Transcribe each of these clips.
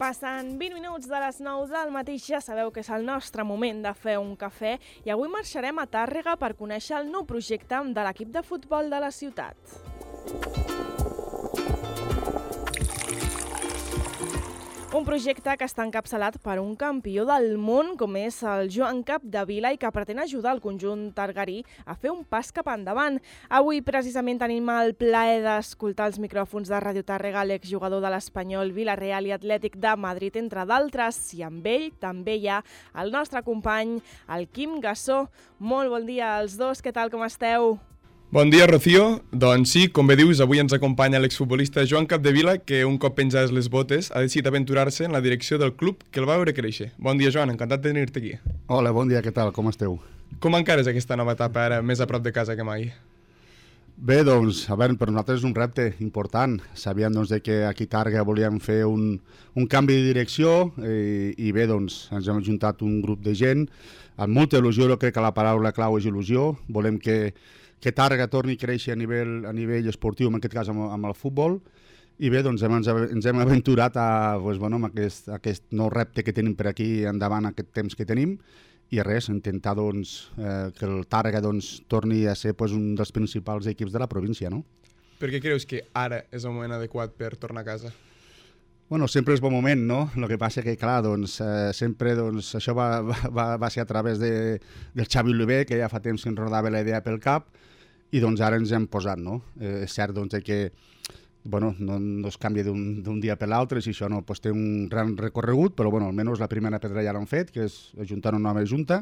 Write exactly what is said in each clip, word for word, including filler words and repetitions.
Passen vint minuts de les nou del matí, ja sabeu que és el nostre moment de fer un cafè i avui marxarem a Tàrrega per conèixer el nou projecte de l'equip de futbol de la ciutat. Un projecte que està encapçalat per un campió del món com és el Joan Capdevila i que pretén ajudar el conjunt targarí a fer un pas cap endavant. Avui precisament tenim el plaer d'escoltar els micròfons de Ràdio Tàrrega l'exjugador de l'Espanyol, Vila-real i Atlètic de Madrid, entre d'altres, i amb ell també hi ha el nostre company, el Quim Gassó. Molt bon dia als dos, què tal, com esteu? Bon dia, Rocío. Doncs sí, com bé dius, avui ens acompanya l'exfutbolista Joan Capdevila, que un cop penjades les botes ha decidit aventurar-se en la direcció del club que el va veure créixer. Bon dia, Joan, encantat de tenir-te aquí. Hola, bon dia, què tal, com esteu? Com encares aquesta nova etapa ara més a prop de casa que mai? Bé, doncs, a veure, per nosaltres és un repte important. Sabíem doncs, que aquí a Tàrrega volíem fer un, un canvi de direcció i, i bé, doncs, ens hem ajuntat un grup de gent amb molta il·lusió. Jo crec que la paraula clau és il·lusió. Volem que que Tàrrega torni a créixer a nivell, a nivell esportiu, en aquest cas amb, amb el futbol, i bé, doncs ens, ens hem aventurat a, doncs, bueno, amb aquest, aquest nou repte que tenim per aquí endavant, aquest temps que tenim, i res, intentar doncs, eh, que el Tàrrega doncs, torni a ser doncs, un dels principals equips de la província, no? Per què creus que ara és el moment adequat per tornar a casa? Bueno, sempre és bon moment, no? El que passa que, clar, doncs, eh, sempre doncs, això va, va, va ser a través de, del Xavi Oliver, que ja fa temps que ens rodava la idea pel cap, i doncs ara ens hem posat, no? Eh, és cert doncs, que bueno, no, no es canvia d'un dia per l'altre, si això no doncs, té un gran recorregut, però bueno, almenys la primera pedra ja l'han fet, que és ajuntar una nova junta.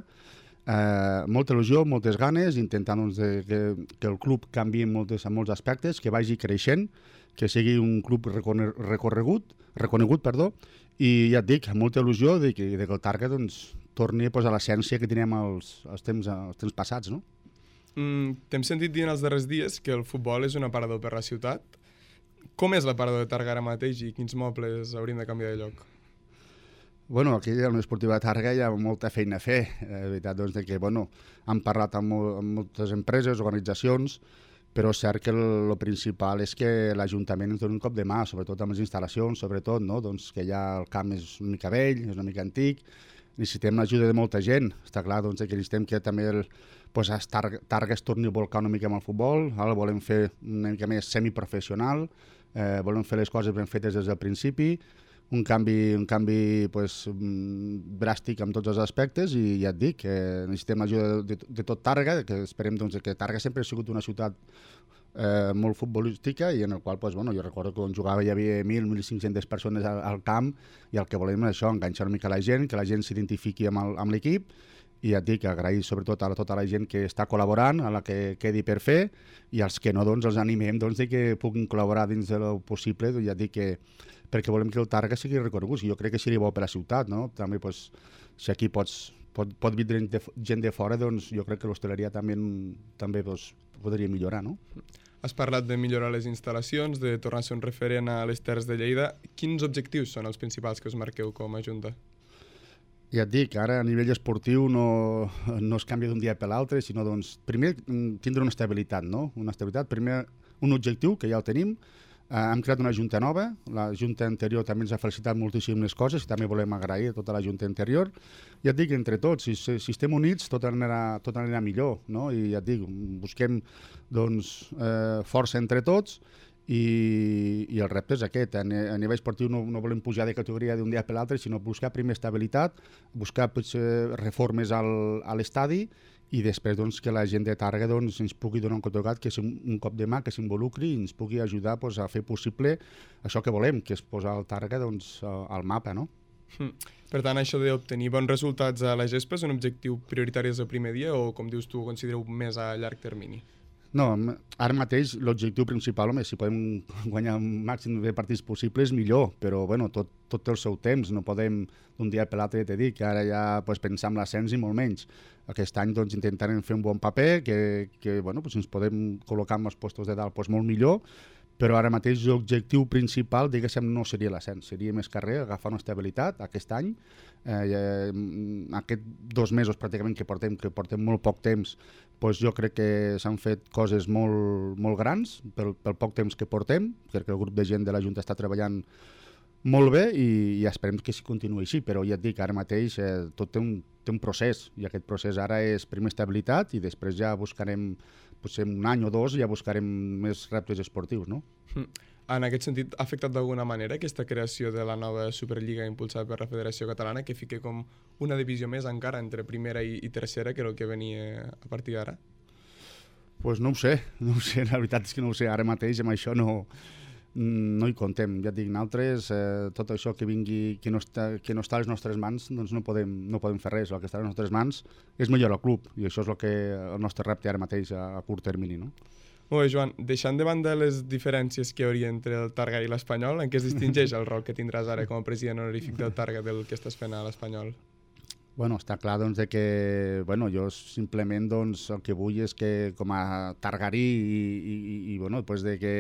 Eh, molta il·lusió, moltes ganes, intentant doncs, de, que, que el club canviï en, moltes, en molts aspectes, que vagi creixent, que sigui un club recorregut, reconegut, perdó, i ja et dic, amb molta il·lusió de que, de que el Tàrrega doncs, torni pues, a l'essència que teníem als, als, temps, als temps passats, no? Mm, T'hem sentit dir en els darrers dies que el futbol és un aparador per la ciutat. Com és l'aparador de Tàrrega ara mateix i quins mobles hauríem de canviar de lloc? Bueno, aquí a l'Esportiva de Tàrrega hi ha molta feina a fer. La eh, veritat doncs, que bueno, hem parlat amb, amb moltes empreses, organitzacions, però és cert que el, el principal és que l'Ajuntament ens doni un cop de mà, sobretot amb les instal·lacions, sobretot, no? Doncs que ja el camp és una mica vell, és una mica antic, necessitem l'ajuda de molta gent. Està clar doncs, que necessitem que també el, pues, Tàrrega es torni a volcar una mica amb el futbol, ara volem fer una mica més semiprofessional, eh, volem fer les coses ben fetes des del principi, un canvi, un canvi pues, dràstic en tots els aspectes, i ja et dic, que necessitem l'ajuda de, de tot Tàrrega, que esperem doncs, que Tàrrega sempre ha sigut una ciutat eh, molt futbolística i en el qual pues, bueno, jo recordo que quan jugava hi havia mil, mil cinc-centes persones al, al camp, i el que volem és això, enganxar una mica la gent, que la gent s'identifiqui amb, el, amb l'equip, i ja et dic, agrair sobretot a tota la gent que està col·laborant, a la que quedi per fer, i els que no, doncs, els animem doncs, de que puguin col·laborar dins del possible, doncs, ja et dic que perquè volem que el Tàrrega sigui reconegut, i jo crec que seria bo per la ciutat, no? També, doncs, si aquí pots, pot, pot vindre gent de, gent de fora, doncs jo crec que l'hostaleria també, també doncs, podria millorar, no? Has parlat de millorar les instal·lacions, de tornar a ser un referent a les Terres de Lleida. Quins objectius són els principals que us marqueu com a Junta? Ja et dic, ara a nivell esportiu no, no es canvia d'un dia per l'altre, sinó doncs, primer tindre una estabilitat, no? Una estabilitat, primer un objectiu, que ja el tenim, eh, hem creat una junta nova, la junta anterior també ens ha felicitat moltíssim les coses i també volem agrair a tota la junta anterior. Ja et dic, entre tots, si, si estem units tot anirà, tot anirà millor, no? I ja et dic, busquem doncs, eh, força entre tots, I, i el repte és aquest. A nivell esportiu no, no volem pujar de categoria d'un dia per l'altre, sinó buscar primer estabilitat, buscar potser, reformes al, a l'estadi i després doncs, que la gent de Tàrrega doncs, ens pugui donar un cotocat, que és un, un cop de mà, que s'involucri i ens pugui ajudar doncs, a fer possible això que volem, que és posar el Tàrrega doncs, al mapa, no? Mm. Per tant, això d'obtenir bons resultats a la gespa és un objectiu prioritari des del primer dia o, com dius tu, ho considereu més a llarg termini? No, ara mateix l'objectiu principal, home, si podem guanyar el màxim de partits possibles, millor, però bueno, tot, tot té el seu temps, no podem d'un dia per l'altre, te dic, que ara ja pues, pensar en l'ascens i molt menys. Aquest any doncs, intentarem fer un bon paper, que, que bueno, pues, ens podem col·locar en els postos de dalt pues, molt millor, però ara mateix l'objectiu principal, diguéssim, no seria l'ascens, seria més carrer, agafar una estabilitat aquest any. Eh, aquest dos mesos pràcticament que portem, que portem molt poc temps, doncs jo crec que s'han fet coses molt, molt grans pel, pel poc temps que portem, perquè el grup de gent de la Junta està treballant molt bé i, i esperem que s'hi continuï així, però ja et dic, ara mateix eh, tot té un, té un procés i aquest procés ara és primer estabilitat i després ja buscarem, potser un any o dos, ja buscarem més reptes esportius, no? Mm. En aquest sentit, ha afectat d'alguna manera aquesta creació de la nova Superliga impulsada per la Federació Catalana que fiqui com una divisió més encara entre primera i, i tercera que el que venia a partir d'ara? Pues no ho sé, no ho sé, la veritat és que no ho sé, ara mateix amb això no, no hi contem. Ja et dic, nosaltres, eh, tot això que vingui, que no, està, que no està a les nostres mans, doncs no podem, no podem fer res. El que està a les nostres mans és millorar el club i això és el, que, el nostre repte ara mateix a, a curt termini, no? Molt bé, Joan, deixant de banda les diferències que hi hauria entre el Targa i l'Espanyol, en què es distingeix el rol que tindràs ara com a president honorífic del Targa del que estàs fent a l'Espanyol? Bueno, està clar doncs, de que bueno, jo simplement doncs, el que vull és que com a targarí i, i, i bueno, pues de que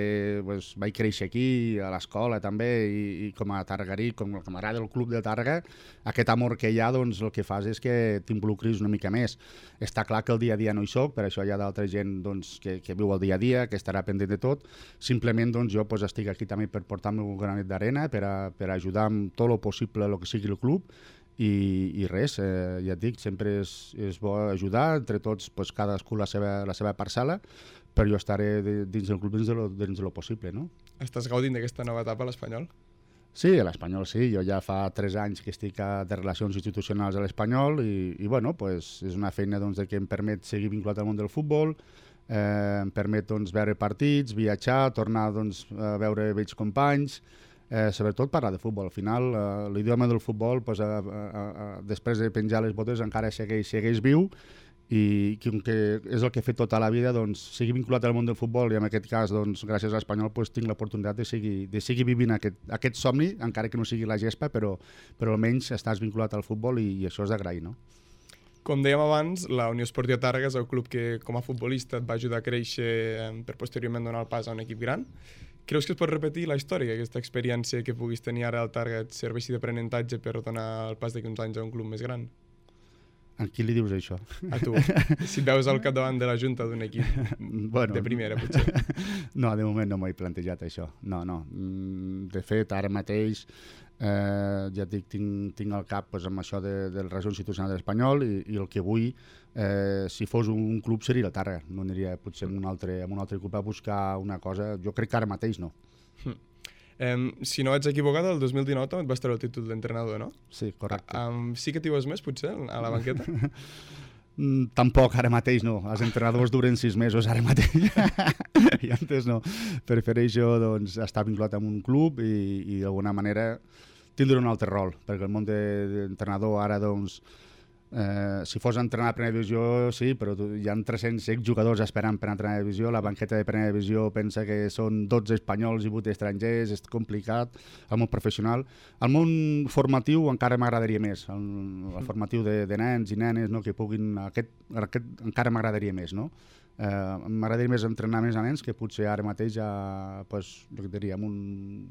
pues, vaig créixer aquí a l'escola també i, i com a targarí, com a camarada del club de Targa, aquest amor que hi ha doncs, el que fas és que t'involucris una mica més. Està clar que el dia a dia no hi soc, per això hi ha d'altra gent doncs, que, que viu el dia a dia, que estarà pendent de tot. Simplement doncs, jo pues, estic aquí també per portar el meu granet d'arena, per, a, per ajudar amb tot el possible el que sigui el club. I, i res, eh, ja et dic, sempre és, és bo ajudar, entre tots pues, cadascú la seva, la seva parcel·la, però jo estaré de, dins del club dins de lo, dins de lo possible, no? Estàs gaudint d'aquesta nova etapa a l'Espanyol? Sí, a l'Espanyol sí, jo ja fa tres anys que estic a, de relacions institucionals a l'Espanyol i, i bueno, pues, és una feina doncs, que em permet seguir vinculat al món del futbol, eh, em permet doncs, veure partits, viatjar, tornar doncs, a veure vells companys, Eh, sobretot parlar de futbol. Al final, eh, l'idioma del futbol, pues, a, a, a, després de penjar les botes, encara segueix, segueix viu i que, que és el que he fet tota la vida, doncs, sigui vinculat al món del futbol i en aquest cas, doncs, gràcies a l'Espanyol, pues, tinc l'oportunitat de seguir, de seguir vivint aquest, aquest somni, encara que no sigui la gespa, però, però almenys estàs vinculat al futbol i, i això és d'agrair, no? Com dèiem abans, la Unió Esportiva Targa és el club que com a futbolista et va ajudar a créixer eh, per posteriorment donar el pas a un equip gran. Creus que es pot repetir la història, aquesta experiència que puguis tenir ara al Targa et serveixi d'aprenentatge per donar el pas d'aquí uns anys a un club més gran? A qui li dius això? A tu, si et veus al capdavant de la junta d'un equip bueno, de primera, potser. No, de moment no m'ho he plantejat, això. No, no. De fet, ara mateix, eh, ja et dic, tinc, tinc al cap pues, amb això de, del Regió Institucional de l'Espanyol i, i el que vull, eh, si fos un club, seria el Targa. No aniria potser amb un altre, amb un altre club a buscar una cosa. Jo crec que ara mateix no. Hm. Um, si no vaig equivocat, el dos mil dinou també et vas treure el títol d'entrenador, no? Sí, correcte. Um, sí que t'hi veus més, potser, a la banqueta? mm, tampoc, ara mateix no. Els entrenadors duren sis mesos ara mateix. I antes no. Prefereixo doncs, estar vinculat amb un club i, i d'alguna manera tindre un altre rol, perquè el món d'entrenador ara, doncs, Eh, si fos a entrenar a primera divisió, sí, però hi ha tres-cents jugadors esperant per entrenar a divisió, la banqueta de primera divisió pensa que són dotze espanyols i vuit estrangers, és complicat, el món professional. El món formatiu encara m'agradaria més, el, el formatiu de, de nens i nenes, no, que puguin, aquest, aquest encara m'agradaria més, no? Eh, m'agradaria més entrenar més a nens que potser ara mateix a, pues, jo diria, amb un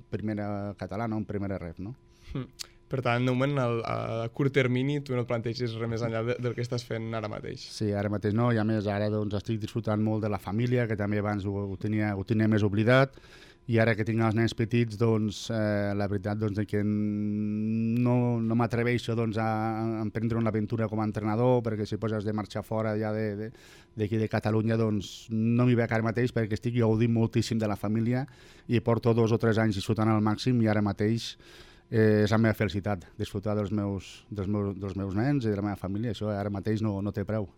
primera catalana o un primera ref, no? Mm. Per tant, de moment, a curt termini, tu no et planteges res més enllà de, del que estàs fent ara mateix. Sí, ara mateix no, i a més ara doncs, estic disfrutant molt de la família, que també abans ho, ho, tenia, ho tenia més oblidat, i ara que tinc els nens petits, doncs, eh, la veritat doncs, que no, no m'atreveixo doncs, a, a emprendre una aventura com a entrenador, perquè si poses de marxar fora ja d'aquí de, de, de Catalunya, doncs no m'hi veig ara mateix, perquè estic gaudint moltíssim de la família i porto dos o tres anys disfrutant al màxim i ara mateix Eh, és la meva felicitat, disfrutar dels meus, dels, meus, dels meus nens i de la meva família. Això ara mateix no, no té preu.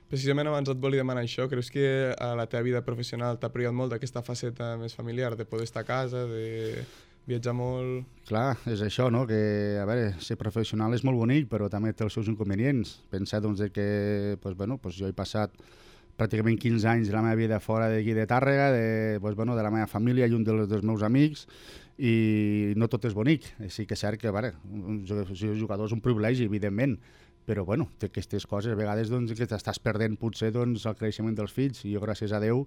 Precisament abans et volia demanar això. Creus que a la teva vida professional t'ha privat molt d'aquesta faceta més familiar, de poder estar a casa, de viatjar molt? Clar, és això, no? Que, a veure, ser professional és molt bonic, però també té els seus inconvenients. Pensar doncs, que pues, bueno, pues, jo he passat pràcticament quinze anys de la meva vida fora d'aquí de Tàrrega, de, pues, bueno, de la meva família i un dels, dels meus amics, i no tot és bonic. Sí que és cert que vale, un jugador és un privilegi, evidentment, però bueno, té aquestes coses a vegades doncs, que t'estàs perdent potser doncs, el creixement dels fills, i jo gràcies a Déu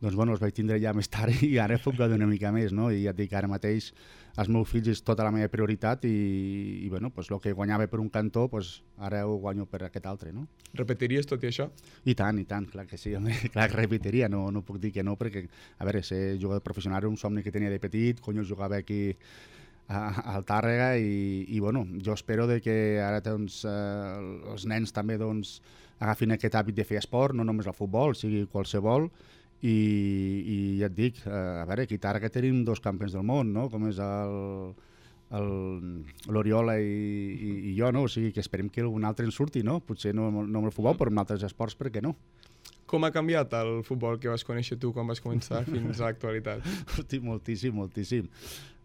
doncs, bueno, els vaig tindre ja més tard i ara puc gaudir una mica més, no? I ja et dic, ara mateix els meus fills és tota la meva prioritat i, i bueno, pues, el que guanyava per un cantó, pues, ara ho guanyo per aquest altre, no? Repetiries tot i això? I tant, i tant, clar que sí, home, clar que repetiria, no, no puc dir que no, perquè, a veure, ser jugador professional era un somni que tenia de petit, cony, jugava aquí al Tàrrega i, i bueno, jo espero de que ara doncs, eh, els nens també doncs, agafin aquest hàbit de fer esport, no només el futbol, sigui qualsevol, i, i ja et dic, eh, a veure, aquí a Tàrrega tenim dos campions del món, no? Com és l'Oriola i, i, i jo, no? O sigui que esperem que algun altre en surti, no? Potser no, no amb el futbol, però amb altres esports, per què no? Com ha canviat el futbol que vas conèixer tu quan vas començar fins a l'actualitat? Hosti, moltíssim, moltíssim.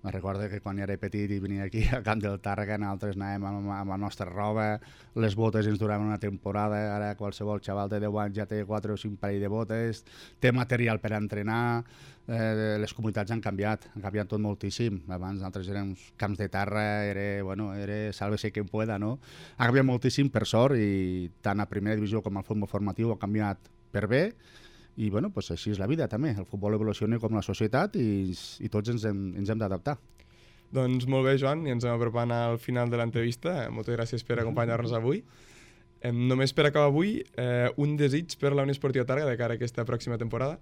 Me recordo que quan era petit i venia aquí al camp del Tàrrega, nosaltres anàvem amb, amb la nostra roba, les botes ens duraven una temporada, ara qualsevol xaval de deu anys ja té quatre o cinc parell de botes, té material per entrenar, eh, les comunitats han canviat, han canviat tot moltíssim. Abans nosaltres érem camps de terra, era, bueno, era sálvese quien pueda, no? Ha canviat moltíssim, per sort, i tant a primera divisió com al futbol formatiu ha canviat per bé, i bueno, pues així és la vida també, el futbol evoluciona com la societat i, i tots ens hem, ens hem d'adaptar. Doncs molt bé, Joan, i ens hem apropant al final de l'entrevista. Moltes gràcies per acompanyar-nos avui. Eh, només per acabar avui, eh, un desig per la Unió Esportiva Tàrrega de cara a aquesta pròxima temporada?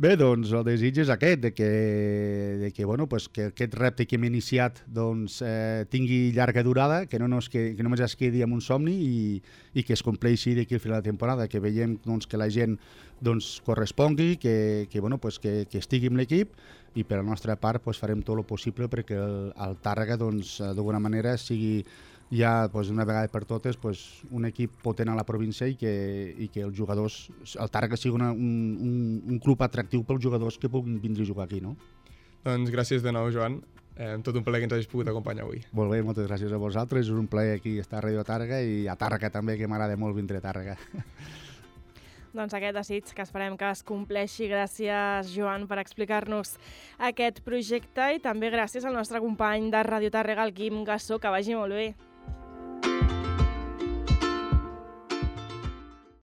Bé, doncs el desig és aquest, de que, de que, bueno, pues, que aquest repte que hem iniciat doncs, eh, tingui llarga durada, que, no nos quedi, que només es quedi amb un somni i, i que es compleixi d'aquí al final de temporada, que veiem doncs, que la gent doncs, correspongui, que, que, bueno, pues, que, que estigui amb l'equip, i per la nostra part pues, farem tot el possible perquè el, el Tàrrega doncs, d'alguna manera sigui ja pues, una vegada per totes pues, un equip potent a la província i que, i que els jugadors, el Tàrrega sigui una, un, un, un club atractiu pels jugadors que puguin vindre a jugar aquí. No? Doncs gràcies de nou, Joan. Eh, tot un plaer que ens hagis pogut acompanyar avui. Molt bé, moltes gràcies a vosaltres. És un plaer aquí estar a Radio Tàrrega i a Tàrrega també, que m'agrada molt vindre a Tàrrega. Doncs aquest desig que esperem que es compleixi. Gràcies, Joan, per explicar-nos aquest projecte i també gràcies al nostre company de Radio Tàrrega, el Quim Gassó, que vagi molt bé.